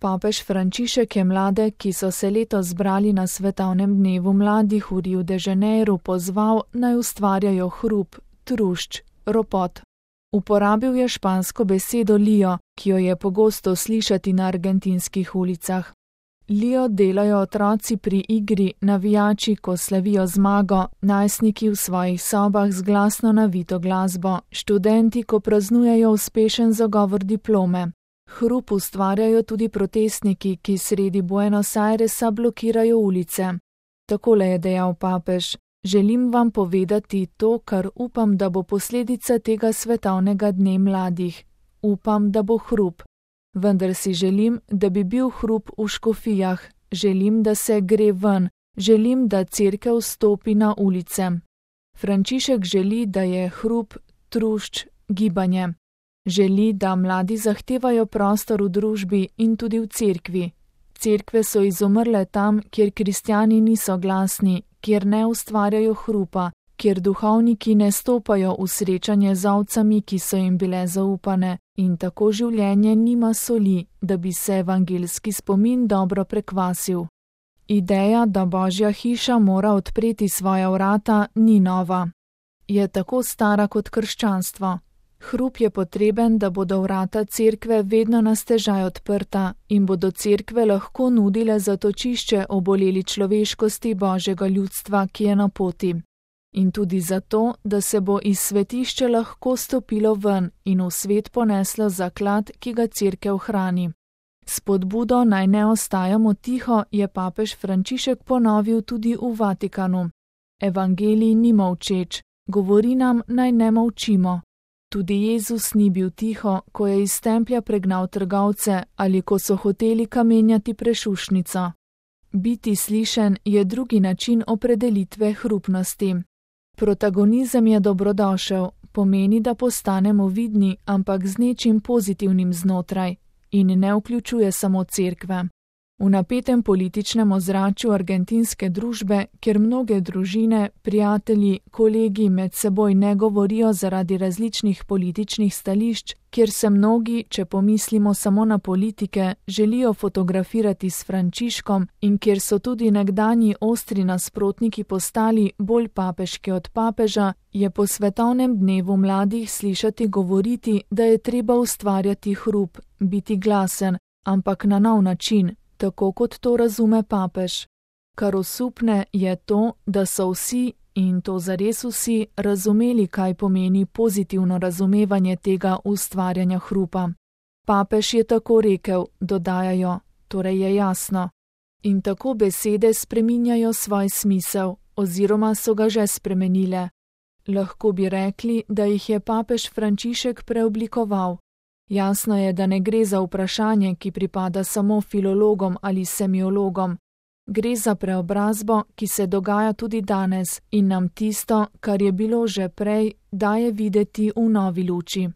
Papež Frančišek je mlade, ki so se letos zbrali na svetovnem dnevu mladih v Riu de Janeiro, pozval, naj ustvarjajo hrup, trušč, ropot. Uporabil je špansko besedo lío, ki jo je pogosto slišati na argentinskih ulicah. Lío delajo otroci pri igri, navijači, ko slavijo zmago, najstniki v svojih sobah z glasno navito glasbo, študenti, ko praznujejo uspešen zagovor diplome. Hrup ustvarjajo tudi protestniki, ki sredi Buenos Airesa blokirajo ulice. Takole je dejal papež: želim vam povedati to, kar upam, da bo posledica tega svetovnega dne mladih. Upam, da bo hrup. Vendar si želim, da bi bil hrup v škofijah, želim, da se gre ven, želim, da cerkev stopi na ulice. Frančišek želi, da je hrup, trušč, gibanje. Želi, da mladi zahtevajo prostor v družbi in tudi v cerkvi. Cerkve so izumrle tam, kjer kristjani niso glasni, kjer ne ustvarjajo hrupa, kjer duhovniki ne stopajo v srečanje z ovcami, ki so jim bile zaupane, in tako življenje nima soli, da bi se evangeljski spomin dobro prekvasil. Ideja, da Božja hiša mora odpreti svoja vrata, ni nova. Je tako stara kot krščanstvo. Hrup je potreben, da bodo vrata cerkve vedno na stežaj odprta in bodo cerkve lahko nudile zatočišče oboleli človeškosti Božjega ljudstva, ki je na poti. In tudi zato, da se bo iz svetišča lahko stopilo ven in v svet poneslo zaklad, ki ga cerkev hrani. Spodbudo naj ne ostajamo tiho je papež Frančišek ponovil tudi v Vatikanu. Evangelij ni molčeč, govori nam, naj ne molčimo. Tudi Jezus ni bil tiho, ko je iz templja pregnal trgovce ali ko so hoteli kamenjati prešušnico. Biti slišen je drugi način opredelitve hrupnosti. Protagonizem je dobrodošel, pomeni, da postanemo vidni, ampak z nečim pozitivnim znotraj, in ne vključuje samo cerkve. V napetem političnem ozračju argentinske družbe, kjer mnoge družine, prijatelji, kolegi med seboj ne govorijo zaradi različnih političnih stališč, kjer se mnogi, če pomislimo samo na politike, želijo fotografirati s Frančiškom in kjer so tudi nekdanji ostri nasprotniki postali bolj papeški od papeža, je po svetovnem dnevu mladih slišati govoriti, da je treba ustvarjati hrup, biti glasen, ampak na nov način, tako kot to razume papež. Kar osupne je to, da so vsi, in to zares vsi, razumeli, kaj pomeni pozitivno razumevanje tega ustvarjanja hrupa. Papež je tako rekel, dodajajo, torej je jasno. In tako besede spreminjajo svoj smisel, oziroma so ga že spremenile. Lahko bi rekli, da jih je papež Frančišek preoblikoval. Jasno je, da ne gre za vprašanje, ki pripada samo filologom ali semiologom. Gre za preobrazbo, ki se dogaja tudi danes in nam tisto, kar je bilo že prej, daje videti v novi luči.